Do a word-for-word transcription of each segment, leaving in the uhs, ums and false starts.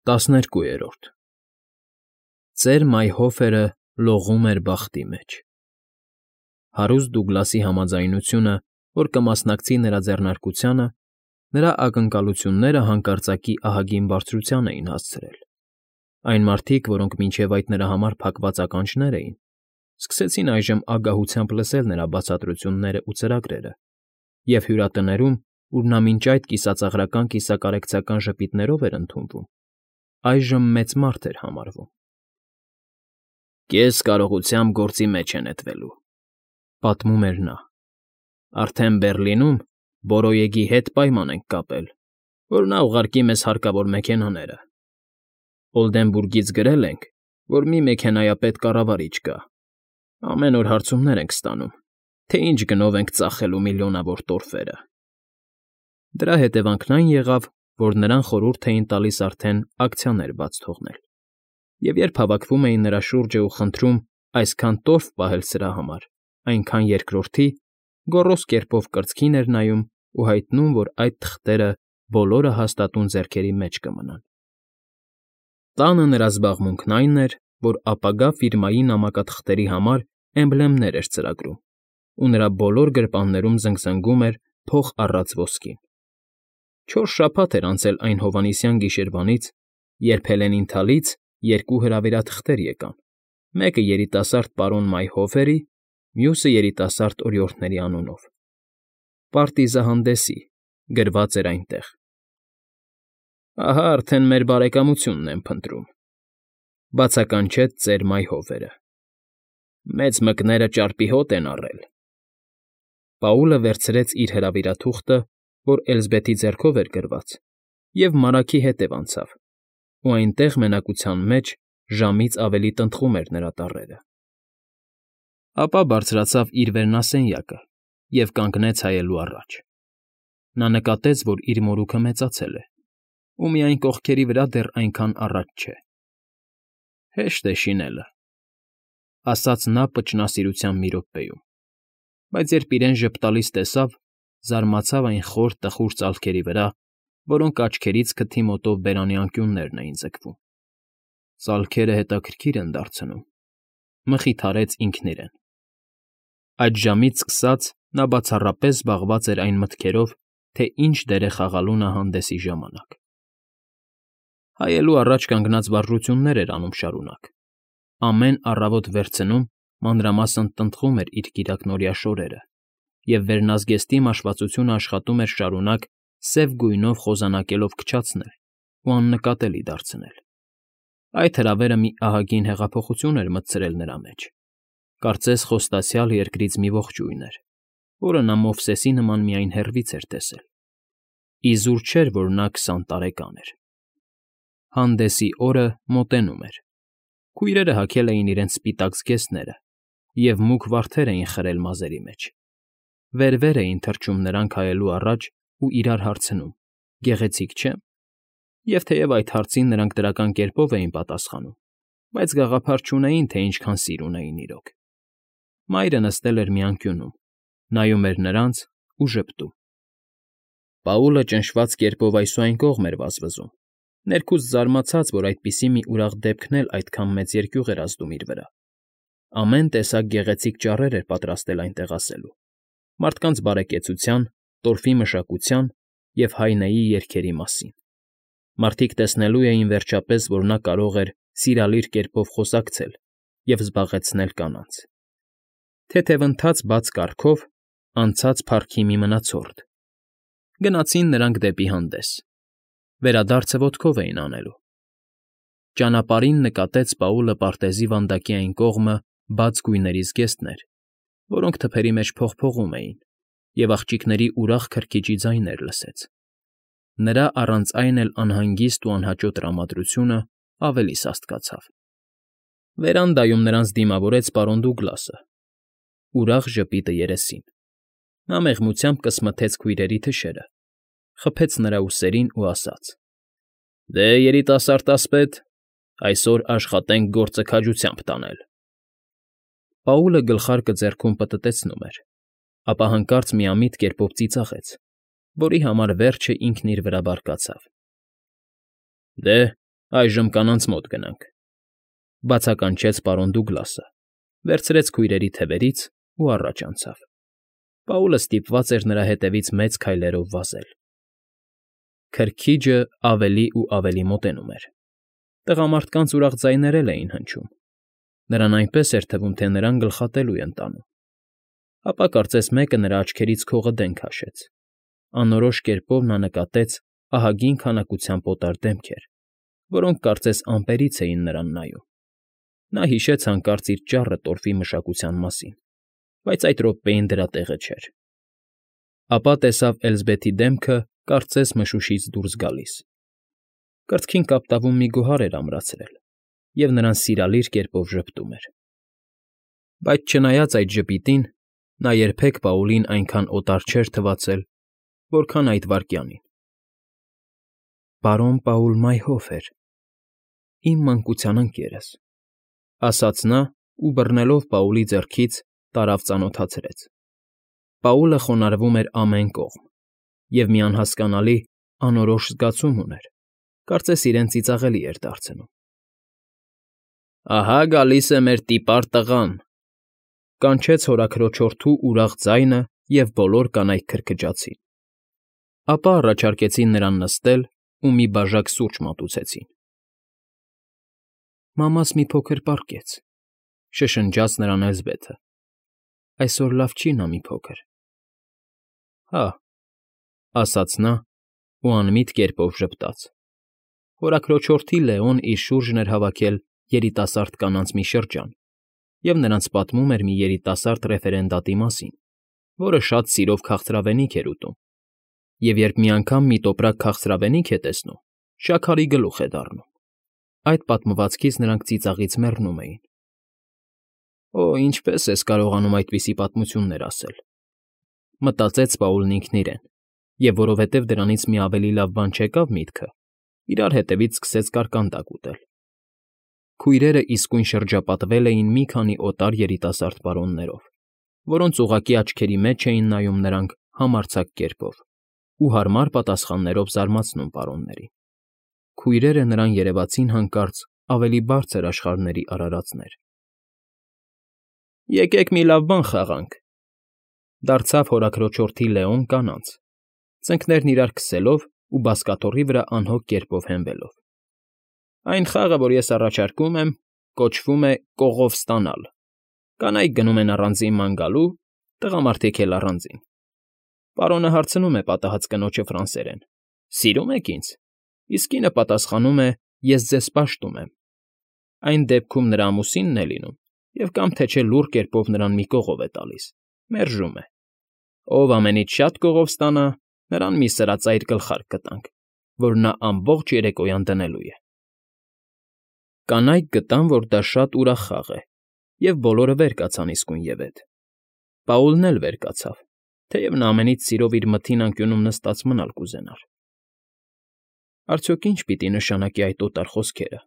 ՏԱՍՆԵՐԿՈՒԵՐՈՐԴ Ծեր մայհոֆերը լողում էր բախտի մեջ… Հարուստ Դուգլասի համաձայնությունը, որ կմասնակցի նրա ձեռնարկությանը, նրա ակնկալությունները հանկարծակի ահագին բարձրության էին հասցրել. այն մարդիկ, որոնք մինչև այդ նրա համար փակված ականջներ էին, սկսեցին այժմ ագահությամբ լսել նրա բացատրություններն ու ծրագրերը, և հյուրատներում, ուր նա մինչ այդ կիսածաղրական֊կիսակարեկցական ժպիտներով էր ընդունվում, այժմ մեծ մարդ էր համարվում։ «Կես կարողությամբ գործի մեջ է նետվելու,֊ պատմում էր նա,֊ արդեն Բեռլինում Բորոյեգի հետ պայման ենք կապել, որ նա ուղարկի մեզ հարկավոր մեքենաները։ Օլդենբուրգից գրել ենք, որ մի մեքենայապետ կառավարիչ կա. ամեն օր հարցումներ ենք ստանում, թե ինչ գնով ենք ծախելու միլիոնավոր տորֆերը։ Դրա հետևանքն այն եղավ, որ նրան խորհուրդ էին տալիս արդեն ակցիաներ բաց թողնել, և երբ հավաքվում էին նրա շուրջն ու խնդրում այսքան տորֆ պահել սրա համար, այնքան երկրորդի, գոռոզ կերպով կրծքին էր նայում ու հայտնում, որ այդ թղթերը բոլորը հաստատուն ձեռքերի մեջ կմնան։ Տանը նրա զբաղմունքն այն էր, որ ապագա ֆիրմայի նամակաթղթերի համար էմբլեմներ էր ծրագրում, ու նրա բոլոր գրպաններում զնգզնգում էր փող առած ոսկին։ Չորս շաբաթ էր անցել այն հովանիսյան գիշերվանից, երբ Հելենիանթալից երկու հրավերաթղթեր եկան, մեկը երիտասարդ պարոն Մայհոֆերի, մյուսը երիտասարդ օրիորդների անունով։ Պարտիզահանդեսի, գրված էր այնտեղ. «Ահա արդեն մեր բարեկամությունն եմ փնտրում,֊ բացականչեց ծեր Մայհոֆերը։֊ Մեծ մկները ճարպի հոտ են առել»։ Պաուլը վերցրեց իր հրավիրաթուղթը, որ Էլզբեթի ձեռքով էր գրված, և մարագի հետև անցավ, ու այնտեղ մենակության մեջ ժամից ավելի տնտղում էր նրա տառերը։ Ապա բարձրացավ իր վերնասենյակը և կանգնեց հայելու առաջ։ Նա նկատեց, որ իր մորուքը մեծացել է, ու միայն կողքերի վրա դեռ այնքան առաջ չէ։ «Հեշտ է շինելը,֊ ասաց նա պճնասիրության մի րոպեում, բայց երբ իրեն ժպտալից տեսավ, զարմացավ այն խոր տխուր ծալքերի վրա, որոնք աչքերից քթի մոտով բերանի անկյուններն էին ձգվում։ Ծալքերը հետաքրքիր են դարձնում,֊ մխիթարեց ինքն իրեն։ Այդժամից սկսած նա բացառապես զբաղված էր այն մտքերով, թե ինչ դեր է խաղալու նա հանդեսի ժամանակ։ Հայելու առաջ կանգնած վարժություններ էր անում շարունակ, ամեն առավոտ վերցնում, մանրամասն տնտղում էր իր կիրակնօրյա շորերը և վերնազգեստի մաշվածությունը աշխատում էր շարունակ սև գույնով խոզանակելով քչացնել ու աննկատելի դարձնել։ Այդ հրավերը մի ահագին հեղափոխություն էր մտցրել նրա մեջ, կարծես խոստացյալ երկրից մի ողջույն էր, որը նա Մովսեսի նման միայն հեռվից էր տեսել։ Իզուր չէր, որ նա քսան տարեկան էր։ Հանդեսի օրը մոտենում էր։ Քույրերը հագել էին իրենց սպիտակ զգեստները և մուգ վարդեր էին խրել մազերի մեջ։ Վեր֊վեր էին թռչում նրանք հայելու առաջ ու իրար հարցնում. «Գեղեցիկ չե՞մ»։ Եվ թեև այդ հարցին նրանք դրական կերպով էին պատասխանում, բայց գաղափար չունեին, թե ինչքան սիր ունեին իրոք։ Մայրը նստել էր մի անկյունում, նայում էր նրանց ու ժպտում։ Պաուլը ճնշված կերպով այս ու այն կողմ էր վազվզում, ներքուստ զարմացած, որ այդպիսի մի ուրախ դեպքն էլ այդքան մեծ երկյուղ էր ազդում իր վրա։ Ամեն տեսակ գեղեցիկ ճառեր էր պատրաստել այնտեղ ասելու, մարդկանց բարեկեցության, տորֆի մշակության և հայնեի երգերի մասին։ Մարդիկ տեսնելու էին, վերջապես, որ նա կարող էր սիրալիր կերպով խոսակցել և զբաղեցնել կանանց։ Թեթևընթաց բաց կառքով անցած փառքի մի մնացորդ։ Գնացին նրանք դեպի հանդես։ Վերադարձը ոտքով էին անելու։ Ճանապարհին նկատեց Պաուլը պարտեզի վանդակի այն կողմը բաց գույների զգեստներ, որոնք թփերի մեջ փողփողում էին, և աղջիկների ուրախ քրքիջի ձայներ լսեց։ Նրա առանց այն էլ անհանգիստ ու անհաճո տրամադրությունը ավելի սաստկացավ։ Վերանդայում նրանց դիմավորեց պարոն Դուգլասը, ուրախ ժպիտը երեսին։ Նա մեղմությամբ կսմթեց քույրերի թշերը, խփեց նրա ուսերին ու ասաց. «Դե, երիտասարդ ասպետ, այսօր աշխատենք գործը քաջությամբ տանել»։ Պաուլը գլխարկը ձեռքում պտտեցնում էր, ապա հանկարծ միամիտ կերպով ծիծաղեց, որի համար վերջը ինքն իր վրա բարկացավ։ «Դե, Այժմ կանանց մոտ գնանք,֊ բացականչեց պարոն Դուգլասը, վերցրեց քույրերի թևերից ու առաջ անցավ. Պաուլը ստիպված էր նրա հետևից մեծ քայլերով վազել։ Քրքիջը ավելի ու ավելի մոտենում էր։ Տղամարդկանց ուրախ ձայներ էլ էին հնչում։ Նրան այնպես էր թվում, թե նրան գլխատելու են տանում։ Ապա կարծես մեկը նրա աչքերից քողը դեն քաշեց։ Անորոշ կերպով նա նկատեց ահագին քանակությամբ օտար դեմքեր, որոնք կարծես ամպերից էին նրան նայում։ Նա հիշեց հանկարծ իր ճառը տորֆի մշակության մասին, բայց այդ րոպեին դրա տեղը չէր։ Ապա տեսավ Էլզբեթի դեմքը կարծես մշուշից դուրս գալիս։ Կրծքին կապտավուն մի գոհար էր ամրացրել, և նրան սիրալիր կերպով ժպտում էր։ Բայց չնայած այդ ժպիտին, նա երբեք Պաուլին այնքան օտար չէր թվացել, որքան այդ վայրկյանին։ «Պարոն Պաուլ Մայհոֆեր, իմ մանկության ընկերս,֊ ասաց նա ու, բռնելով Պաուլի ձեռքից, տարավ ծանոթացրեց։ Պաուլը խոնարհվում էր ամեն կողմ և մի անհասկանալի, անորոշ զգացում ուներ, կարծես իրեն ծիծաղելի էր դարձնում։ «Ահա գալիս է մեր տիպար տղան,֊ կանչեց հորաքրոջորդու ուրախ ձայնը, և բոլոր կանայք քրքջացին։ Ապա առաջարկեցին նրան նստել ու մի բաժակ սուրճ մատուցեցին։ «Մամաս մի փոքր պառկեց,֊ շշնջաց նրան Էլզբեթը,֊ այսօր լավ չի նա մի փոքր»։ «Հա՛,֊ ասաց նա ու անմիտ կերպով ժպտաց։ Հորաքրոջորդի Լեոն իր շուրջն էր հավաքել երիտասարդ կանանց մի շրջան և նրանց պատմում էր մի երիտասարդ ռեֆերենդատի մասին, որը շատ սիրով քաղցրավենիք էր ուտում, և երբ մի անգամ մի տոպրակ քաղցրավենիք է տեսնում, շաքարի գլուխ է դառնում։ Այդ պատմվածքից նրանք ծիծաղից մեռնում էին։ «Օ, ինչպե՜ս ես կարողանում այդպիսի պատմություններ ասել,֊ մտածեց Պաուլն ինքն իրեն, և որովհետև դրանից մի ավելի լավ բան չեկավ միտքը, իրար հետևից սկսեց կարկանդակ ուտել։ Քույրերը իսկույն շրջապատվել էին մի քանի օտար երիտասարդ պարոններով, որոնց ուղղակի աչքերի մեջ էին նայում նրանք համարձակ կերպով ու հարմար պատասխաններով զարմացնում պարոններին։ Քույրերը նրան երևացին հանկարծ ավելի բարձր աշխարհների արարածներ։ «Եկեք մի լավ բան խաղանք,֊ դարձավ հորաքրոջորդի Լեոն կանանց, ծնկներն իրար քսելով ու բազկաթոռի վրա անհոգ կերպով հենվելով։ Այն խաղը, որ ես առաջարկում եմ, կոչվում է «Կողով ստանալ»։ Կանայք գնում են առանձին ման գալու, տղամարդիկ էլ առանձին։ Պարոնը հարցնում է պատահած կնոջը ֆրանսերեն. «Սիրո՞ւմ եք ինձ», իսկ կինը պատասխանում է. «Ես ձեզ պաշտում եմ»։ Այն դեպքում նրա ամուսինն է լինում և կամ թե չէ լուռ կերպով նրան մի կողով է տալիս, մերժում է։ Ով ամենից շատ կողով ստանա, նրան մի սրածայր գլխարկ կտանք, որ նա ամբողջ երեկոյան դնելու է»։ Կանայք գտան, որ դա շատ ուրախ խաղ է, և բոլորը վեր կացան իսկույնևեթ։ Պաուլն էլ վեր կացավ, թեև նա ամենից սիրով իր մթին անկյունում նստած մնալ կուզենար։ «Արդյոք ի՞նչ պիտի նշանակի այդ օտար խոսքերը,֊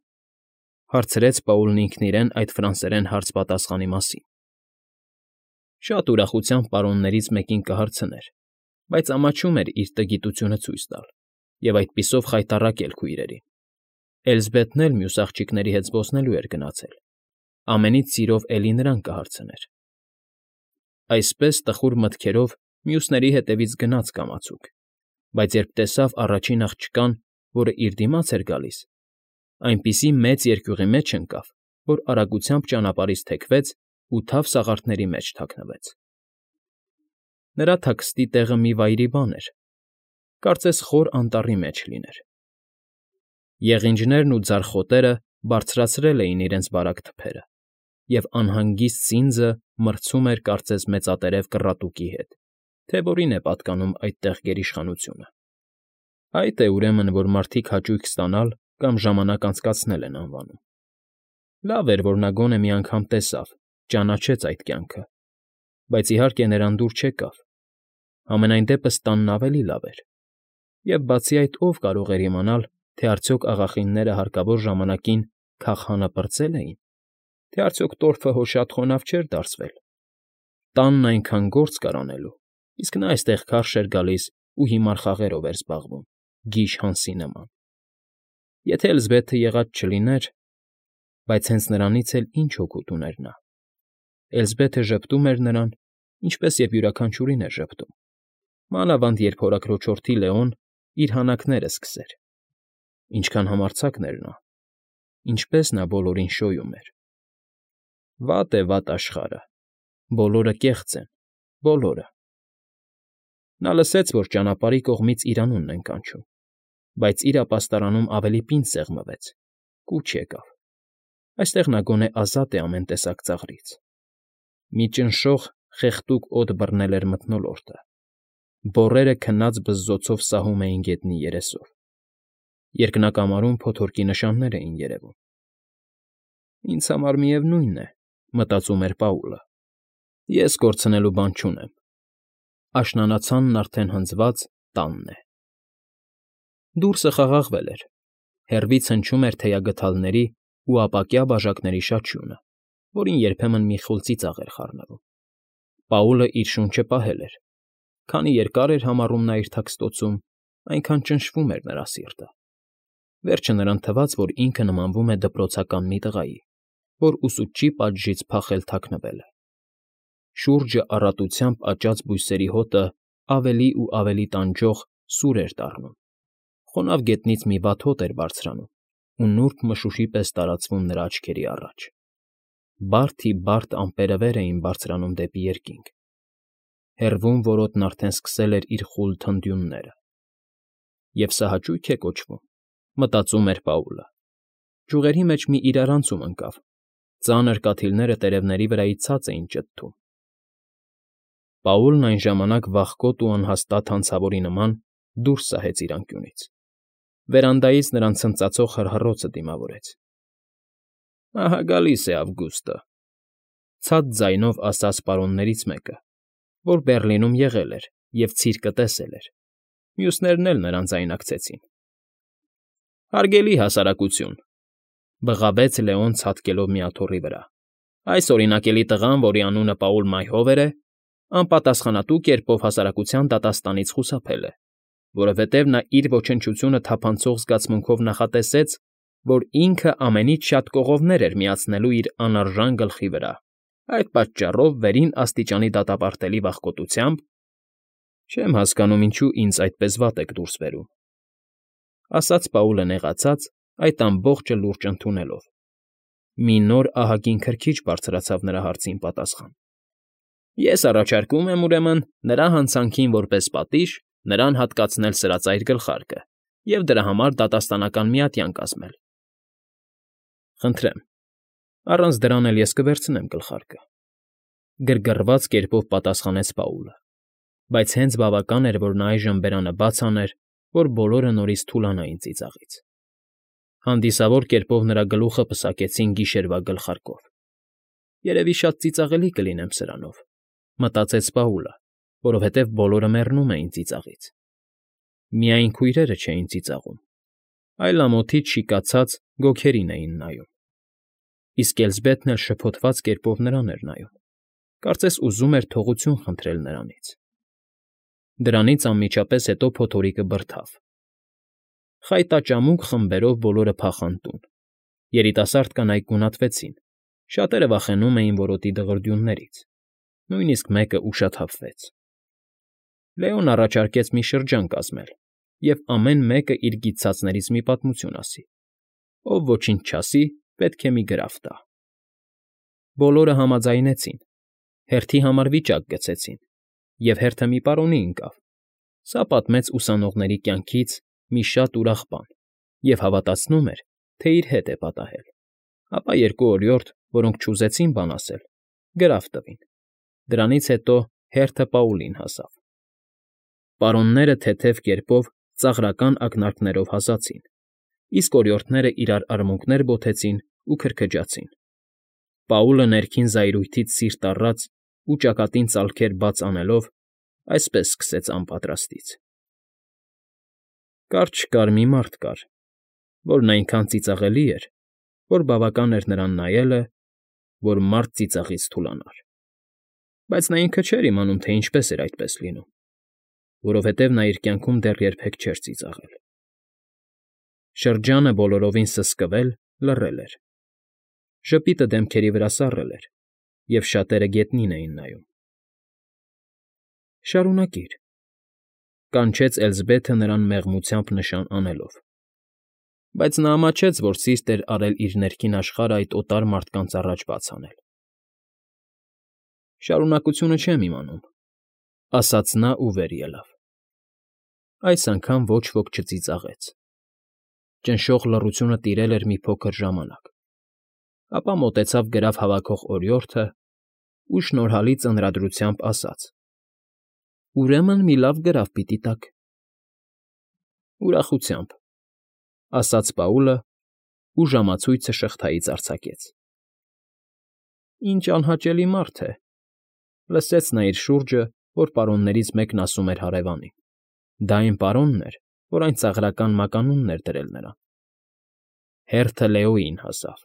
հարցրեց Պաուլն ինքն իրեն այդ ֆրանսերեն հարց֊պատասխանի մասին։ Շատ ուրախությամբ պարոններից մեկին կհարցներ, բայց ամաչում էր իր տգիտությունը ցույց տալ և այդպիսով խայտառակել քույրերին։ Էլզբեթն էլ մյուս աղջիկների հետ զբոսնելու էր գնացել, ամենից սիրով էլի նրան կհարցներ։ Այսպես տխուր մտքերով մյուսների հետևից գնաց կամացուկ, բայց երբ տեսավ առաջին աղջկան, որը իր դիմաց էր գալիս, այնպիսի մեծ երկյուղի մեջ ընկավ, որ արագությամբ ճանապարհից թեքվեց ու թավ սաղարթների մեջ թաքնվեց։ Նրա թաքստի տեղը մի վայրի բան էր, կարծես խոր անտառի մեջ լիներ։ Եղինջներն ու ձարխոտերը բարձրացրել էին իրենց բարակ թփերը, և անհանգիստ սինձը մրցում էր կարծես մեծատերև կռատուկի հետ, թե որին է պատկանում այդտեղ գերիշխանությունը։ Այդ է, ուրեմն, որ մարդիկ հաճույք ստանալ կամ ժամանակ անցկացնել են անվանում։ Լավ էր, որ նա գոնե մի անգամ տեսավ, ճանաչեց այդ կյանքը, բայց իհարկե նրան դուր չեկավ։ Համենայն դեպս տանն ավելի լավ էր։ Եվ բացի այդ, ով կարող էր իմանալ, թե արդյոք աղախինները հարկավոր ժամանակին քաղհանապրծե՞լ էին, թե արդյոք տորֆը հո շատ խոնավ չէր դարսվել։ Տանն այնքան գործ կար անելու, իսկ նա այստեղ քարշ էր գալիս ու հիմար խաղերով էր զբաղվում, գիժ հանսի նման։ Եթե Էլզբեթը եղած չլիներ… Բայց հենց նրանից էլ ինչ օգուտ ուներ նա… Էլզբեթը ժպտում էր նրան, ինչպես և յուրաքանչյուրին էր ժպտում, մանավանդ երբ հորաքրոջորդի Լեոն իր հանակները սկսեր… Ինչքան համարձակն էր նա… Ինչպես նա բոլորին շոյում էր… Վատ է վատ աշխարհը… Բոլորը կեղծ են, բոլորը… Նա լսեց, որ ճանապարհի կողմից իր անունն են կանչում, բայց իր ապաստարանում ավելի պինդ սեղմվեց, կուչ եկավ… Այստեղ նա գոնե ազատ է ամեն տեսակ ծաղրից… Մի ճնշող, խեղդուկ օդ բռնել էր մթնոլորտը… Բոռերը քնած բզզոցով սահում էին գետնի երեսով… Երկնակամարում փոթորկի նշաններ էին երևում… Ինձ համար միևնույն է, մտածում էր Պաուլը, ես կորցնելու բան չունեմ… Աշնանացանն արդեն հնձված տանն է… Դուրսը խաղաղվել էր, հեռվից հնչում էր թեյագդալների ու ապակյա բաժակների շաչյունը, որին երբեմն մի խուլ ծիծաղ էր խառնվում… Պաուլը իր շունչը պահել էր… Քանի երկար էր համառում նա իր թաքստոցում, այնքան ճնշվում էր նրա սիրտը… Վերջը նրան թվաց, որ ինքը նմանվում է դպրոցական մի տղայի, որ ուսուցչի պատժից փախել թաքնվել է… Շուրջը առատությամբ աճած բույսերի հոտը ավելի ու ավելի տանջող սուր էր դառնում… Խոնավ գետնից մի վատ հոտ էր բարձրանում ու նուրբ մշուշի պես տարածվում նրա աչքերի առաջ… Բարդ֊ի֊բարդ ամպերը վեր էին բարձրանում դեպի երկինք… Հեռվում որոտն արդեն սկսել էր իր խուլ թնդյունները… Եվ սա հաճո՞ւյք է կոչվում, մտածում էր Պաուլը… Ճյուղերի մեջ մի իրարանցում ընկավ, ծանր կաթիլները տերևների վրայից ցած էին ճտտում… Պաուլն այն ժամանակ վախկոտ ու անհաստատ հանցավորի նման դուրս սահեց իր անկյունից… Վերանդայից նրան ցնծացող հռհռոցը դիմավորեց… ֊ Ահա գալիս է Ավգուստը,֊ ցած ձայնով ասաց պարոններից մեկը, որ Բեռլինում եղել էր և ցիրկը տեսել էր… Մյուսներն էլ նրան ձայնարկեցին… ֊ Հարգելի հասարակություն,֊ բղավեց Լեոն ցատկելով մի աթոռի վրա,֊ այս օրինակելի տղան, որի անունը Պաուլ Մայհովեր է, անպատասխանատու կերպով հասարակության դատաստանից խուսափել է, որովհետև նա իր ոչնչությունը թափանցող զգացմունքով նախատեսեց, որ ինքը ամենից շատ կողովներ էր միացնելու իր անարժան գլխի վրա, այդ պատճառով վերին աստիճանի դատապարտելի վախկոտությամբ… Չեմ հասկանում, ինչու ինձ այդպես վատ եք դուրս բերում,֊ ասաց Պաուլը նեղացած, այդ ամբողջը լուրջ ընդունելով… Մի նոր ահագին քրքիջ բարձրացավ նրա հարցին պատասխան… Ես առաջարկում եմ, ուրեմն, նրա հանցանքին որպես պատիժ նրան հատկացնել սրածայր գլխարկը և դրա համար դատաստանական միատյան կազմել… ֊ Խնդրեմ, առանց դրան էլ ես կվերցնեմ գլխարկը,֊ գրգռված կերպով պատասխանեց Պաուլը, բայց հենց բավական էր, որ նա այժմ բերանը բաց աներ, որ բոլորը նորից թուլանային ծիծաղից… Հանդիսավոր կերպով նրա գլուխը պսակեցին գիշերվա գլխարկով… Երևի շատ ծիծաղելի կլինեմ սրանով, մտածեց Պաուլը, որովհետև բոլորը մեռնում էին ծիծաղից… Միայն քույրերը չէին ծիծաղում, այլ ամոթից շիկացած գոգերին էին նայում… Իսկ Էլզբեթն էլ շփոթված կերպով նրան էր նայում, կարծես ուզում էր թողություն խնդրել նրանից… Դրանից անմիջապես հետո փոթորիկը բրդավ… Խայտաճամուկ խմբերով բոլորը փախան տուն… Երիտասարդ կանայք գունատվեցին, շատերը վախենում էին որոտի դղրդյուններից, նույնիսկ մեկը ուշաթափվեց… Լեոն առաջարկեց մի շրջան կազմել և ամեն մեկը իր գիտցածներից մի պատմություն ասի, ով ոչինչ չասի, պետք է մի գրավ տա… Բոլորը համաձայնեցին, հերթի համար վիճակ գցեցին, և հերթը մի պարոնի ընկավ… Սա պատմեց ուսանողների կյանքից մի շատ ուրախ բան և հավատացնում էր, թե իր հետ է պատահել… Ապա երկու օրիորդ, որոնք չուզեցին բան ասել, գրավ տվին… Դրանից հետո հերթը Պաուլին հասավ… Պարոնները թեթև կերպով ծաղրական ակնարկներով հասացին, իսկ օրիորդները իրար արմունկներ բոթեցին ու քրքջացին… Պաուլը ներքին զայրույթից սիրտ առած ու ճակատին ծալքեր բաց անելով այսպես սկսեց անպատրաստից. Կարճ֊կարճ մի մարդ կար, որն այնքան ծիծաղելի էր, որ բավական էր նրան նայելը, որ մարդ ծիծաղից թուլանար… Բայց նա ինքը չէր իմանում, թե ինչպես էր այդպես լինում, որովհետև նա իր կյանքում դեռ երբեք չէր ծիծաղել… Շրջանը բոլորովին սսկվել, լռել էր։ Ժպիտը դեմքերի վրա սառել էր, և շատերը գետնին էին նայում։ ֊ Շարունակիր,֊ կանչեց Էլզբեթը նրան մեղմությամբ նշան անելով, բայց նա ամաչեց, որ սիրտ էր արել իր ներքին աշխարհը այդ օտար մարդկանց առաջ բաց անել։ ֊ Շարունակությունը չեմ իմանում,֊ ասաց նա ու վեր ելավ։ Այս անգամ ոչ ոք չծիծաղեց։ Ճնշող լռությունը տիրել էր մի փոքր ժամանակ, ապա մոտեցավ գրաֆ հավաքող օրիորդն ու շնորհալի ծանրադրությամբ ասաց. «Ուրեմն մի լավ գրաֆ պիտի տաք»։ ֊ Ուրախությամբ,֊ ասաց Պաուլը ու ժամացույցը շղթայից արձակեց։ «Ինչ անհաճելի մարդ է,֊ լսեց նա իր շուրջը, որ պարոններից մեկն ասում էր հարևանին. դա այն պարոնն էր, որ այն ծաղրական մականունն էր դրել նրան։ Հերթը Լեոյին հասավ,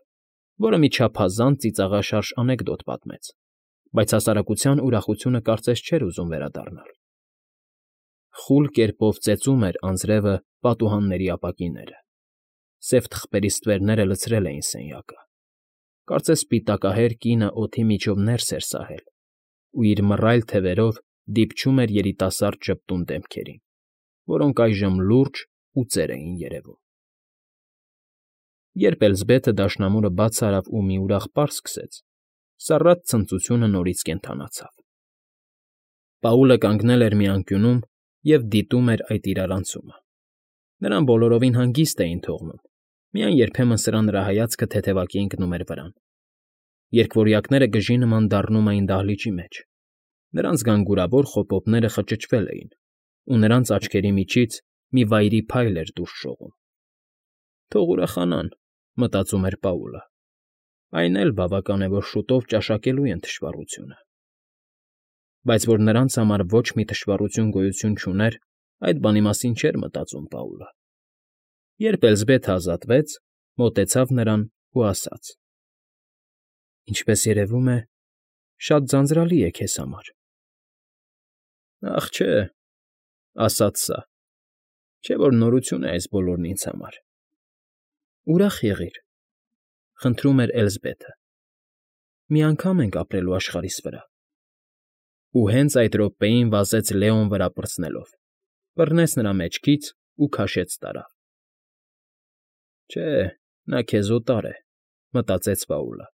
որը մի չափազանց ծիծաղաշարժ անեկդոտ պատմեց, բայց հասարակության ուրախությունը կարծես չէր ուզում վերադառնալ։ Խուլ կերպով ծեծում էր անձրևը պատուհանների ապակիները, սև թղթերի ստվերները լցրել էին սենյակը, կարծես սպիտակահեր կինը օդի միջով ներս էր սահել ու իր մռայլ թևերով դիպչում էր երիտասարդ ժպտուն դեմքերին, որոնք այժմ լուրջ ու ծեր էին երևում։ Երբ Էլզբեթը դաշնամուրը բաց արավ ու մի ուրախ պար սկսեց, սառած ցնծությունը նորից կենդանացավ։ Պաուլը կանգնել էր մի անկյունում և դիտում էր այդ իրարանցումը։ Նրան բոլորովին հանգիստ էին թողնում, միայն երբեմն սրա նրա հայացքը թեթևակի ընկնում էր վրան։ Երկվորյակները գժի նման դառնում էին դահլիճի մեջ, նրանց գանգուրավոր խոպոպները խճճվել էին, ու նրանց աչքերի միջից մի վայրի փայլ էր դուրս շողում։ «Թող ուրախանան,֊ մտածում էր Պաուլը,֊ այն էլ բավական է, որ շուտով ճաշակելու են թշվառությունը»։ Բայց որ նրանց համար ոչ մի թշվառություն գոյություն չուներ, այդ բանի մասին չէր մտածում Պաուլը։ Երբ Էլզբեթը ազատվեց, մոտեցավ նրան ու ասաց. «Ինչպես երևում է, շատ ձանձրալի է քեզ համար»։ «Ախ, չէ,֊ ասաց սա,֊ չէ որ նորություն է այս բոլորն ինձ համար»։ «Ուրախ եղիր,֊ խնդրում էր Էլզբեթը,֊ մի անգամ ենք ապրելու աշխարհիս վրա»։ Ու հենց այդ րոպեին վազեց Լեոն վրա պրծնելով, բռնեց նրա մեջքից ու քաշեց տարավ։ «Չէ, նա քեզ օտար է,֊ մտածեց Պաուլը։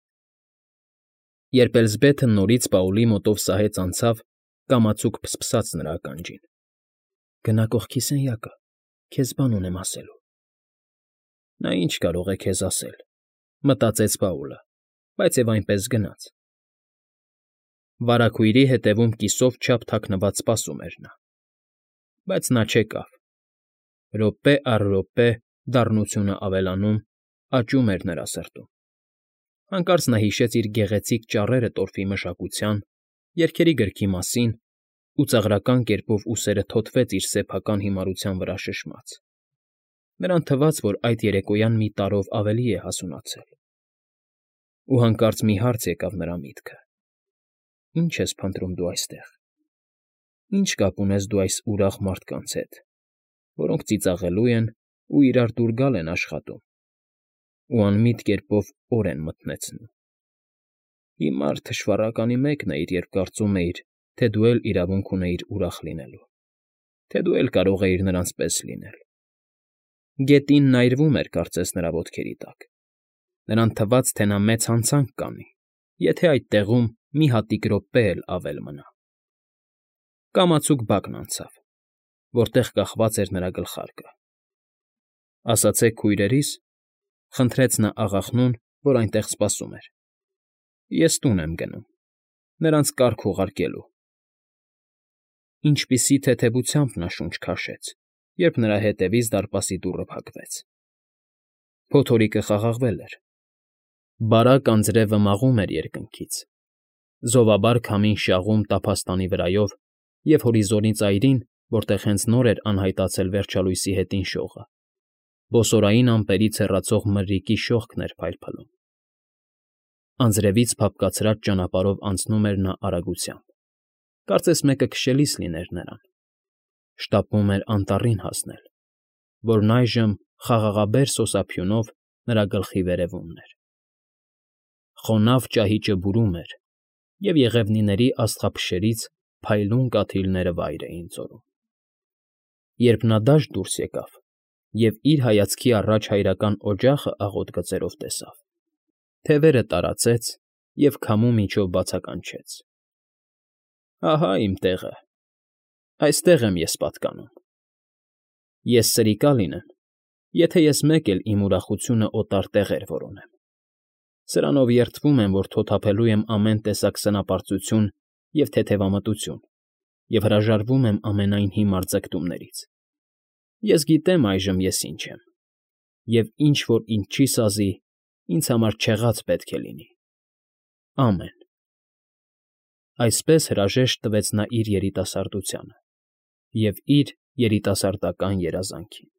Երբ Էլզբեթը նորից Պաուլի մոտով սահեց անցավ, կամացուկ փսփսաց նրա ականջին. «Գնա կողքի սենյակը, քեզ բան ունեմ ասելու»։ Նա ինչ կարող է քեզ ասել,֊ մտածեց Պաուլը, բայց և այնպես գնաց։ Վարագույրի հետևում կիսով չափ թաքնված սպասում էր նա։ Բայց նա չեկավ։ Րոպե առ րոպե դառնությունը ավելանում, աճում էր նրա սրտում։ Հանկարծ նա հիշեց իր գեղեցիկ ճառերը տորֆի մշակության, երգերի գրքի մասին ու ծաղրական կերպով ուսերը թոթվեց իր սեփական հիմարության վրա շշմած։ Նրան թվաց, որ այդ երեկոյան մի տարրով ավելի է հասունացել։ Ու հանկարծ մի հարց եկավ նրա միտքը. «Ի՞նչ ես փնտրում դու այստեղ։ Ի՞նչ կապ ունես դու այս ուրախ մարդկանց հետ, որոնք ծիծաղելու են ու իրար դուր գալ են աշխատում ու անմիտ կերպով օր են մթնեցնում։ Հիմար թշվառականի մեկն էիր, երբ կարծում էիր, թե դու էլ իրավունք ունեիր ուրախ լինելու, թե դու էլ կարող էիր նրանց պես լինել»։ Գետինն այրվում էր կարծես նրա ոտքերի տակ։ Նրան թվաց, թե նա մեծ հանցանք կանի, եթե այդ տեղում մի հատիկ րոպե էլ ավել մնա։ Կամացուկ բակն անցավ, որտեղ կախված էր նրա գլխարկը։ «Ասացեք քույրերիս,֊ խնդրեց նա աղախնուն, որ այնտեղ սպասում էր,֊ ես տուն եմ գնում, նրանց կարգ ուղարկելու»։ Ինչպիսի թեթևությամբ նա շունչ քաշեց, երբ նրա ետևից դարպասի դուռը փակվեց։ Փոթորիկը խաղաղվել էր։ Բարակ անձրևը մաղում էր երկնքից, զովաբար քամին շաղում տափաստանի վրայով և հորիզոնի ծայրին, որտեղ հենց նոր էր անհայտացել վերջալույսի հետին շողը, բոսորային ամպերից հեռացող մրրիկի շողքն էր փայլփլում։ Անձրևից փափկացրած ճանապարհով անցնում էր նա արագությամբ, կարծես մեկը քշելիս լիներ նրան։ Շտապում էր անտառին հասնել, որն այժմ խաղաղաբեր սոսափյունով նրա գլխի վերևումն էր։ Խոնավ ճահիճը բուրում էր, և եղևնիների աստղափշերից փայլուն կաթիլները վայր էին ծորում։ Երբ նա դաշտ դուրս եկավ և իր հայացքի առաջ հայրական օջախը աղոտ գծերով տեսավ, թևերը տարածեց և քամու միջով բացականչեց. «Ահա իմ տեղը, այստեղ եմ ես պատկանում։ Ես սրիկա լինեմ, եթե ես մեկ էլ իմ ուրախությունը օտար տեղեր որոնեմ, սրանով երդվում եմ, որ թոթափելու եմ ամեն տեսակ սնապարծություն և թեթևամտություն և հրաժարվում եմ ամենայն հիմար ձգտումներից։ Ես գիտեմ այժմ ես ինչ եմ, և ինչ որ ինձ չի սազի, ինձ համար չեղած պետք է լինի։ Ամեն»։ Այսպես հրաժեշտ տվեց նա իր երիտասարդությանը և իր երիտասարդական երազանքին։